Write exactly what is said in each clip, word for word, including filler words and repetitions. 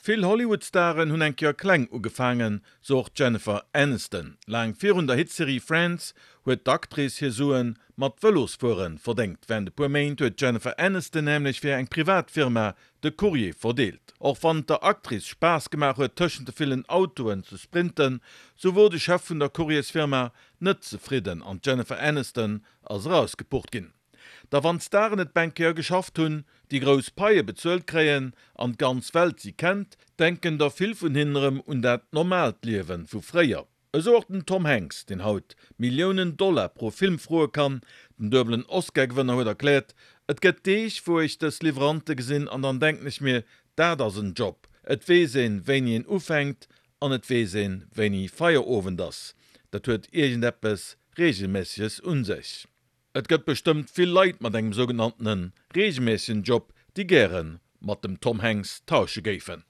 Vill Hollywood-Staren hunn eng Kéier kleng ugefaangen, sou och d'Jennifer Aniston. Laang virun der Hitserie Friends huet d'Actrice hir Sue mat Vëlosfuere verdéngt. Wärend e puer Méint huet d'Jennifer Aniston nämlech fir eng privat Firma de Courrier verdeelt. Och wann et der Actrice Spaass gemaach huet tëschent de villen Autoen ze sprinten, sou wor de Chef vun der Courriersfirma net zefridden an d'Jennifer Aniston ass erausgepucht ginn. Da wann d'Staren et eng Kéier geschafft hunn, déi grouss Paie bezuelt kréien an d'ganz Welt si kennt, denken der vill vun hinnen erëm un dat normaalt Liewe vu fréier. Esou och den Tom Hanks, deen haut Milliounen Dollar pro Film froe kann. Den duebelen Oscar-Gewënner huet erkläert, Et gëtt Deeg, wou ech dës Liwwerante gesinn an dann denken ech mir, dat ass en Job. Et weess een, wéini een ufänkt an et weess een, wéini Feierowend ass. Dat huet iergendeppes Reegelméisseges un sech. Et gëtt bestëmmt vill Leit mat engem sougenanntene reegelméissegen Job, déi gäre mat dem Tom Hanks tausche géifen.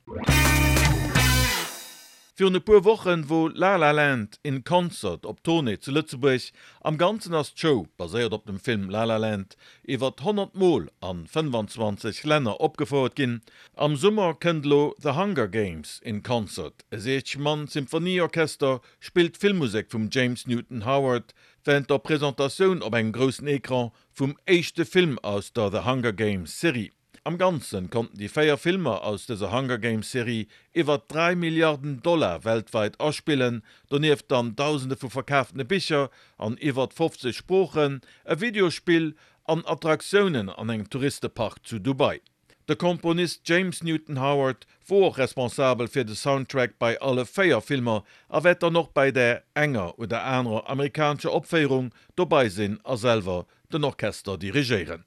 Virun e puer Wochen wor La La Land in Concert op Tournée zu Lëtzebuerg. Am Ganzen ass d'Show, baséiert op dem Film La La Land, iwwer honnert Mol a fënnfanzwanzeg Länner opgefouert ginn. Am Summer kënnt elo The Hunger Games in Concert. E siechzeg Mann Symphonieorchester spillt d'Filmmusek vum James Newton Howard wärend der Presentatioun op engem groussen Ecran vum éischte Film aus der The Hunger Games Serie. Am Ganzen konnten déi véier Filmer aus dëser Hunger Games Serie iwwer dräi Milliarden Dollar weltwäit aspillen, donieft dann dausende vu verkaafte Bicher an iwwer fofzeg Sproochen, e Videospill an Attraktiounen an engem Touristepark zu Dubai. De Komponist James Newton Howard wor och responsabel fir de Soundtrack bei alle véier Filmer a wäert dann och bei där enger oder anerer amerikanescher Opféierung dobäi sinn a selwer den Orchester dirigéieren.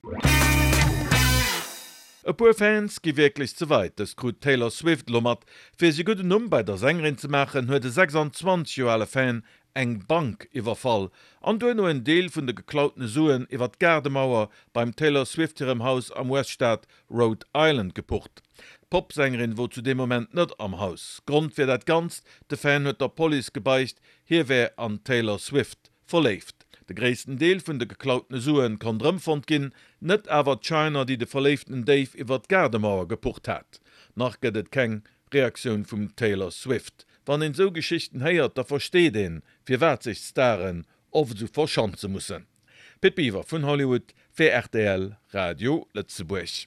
E puer Fans gi wierklech ze wäit, dëst krut d'Taylor Swift elo mat. Fir sech e gudden Numm bei der Sängerin ze maachen, huet e sechsanzwanzeg Joer ale Fan eng Bank iwwerfall an duerno en Deel vun de geklautene Suen iwwer d'Gaardemauer beim Taylor Swift hirem Haus am U S-Staat Rhode Island gepucht. D'Popsängerin wor zu deem Moment net am Haus. Grond fir dat Ganzt, De Fan huet der Police gebeicht, hie wär an d'Taylor Swift verléift. De gréissten Deel vun de geklautene Suen konnt erëmfonnt ginn, net awer d'Schäiner, déi de verléiften Déif iwwer d'Gaardemauer gepucht hat. Nach gëtt et keng Reaktioun vum Taylor Swift. Wann een esou Geschichten héiert, da versteet een, firwat sech d'Staren oft esou verschanze mussen. Pit Biwer vun Hollywood fir R T L Radio Lëtzebuerg.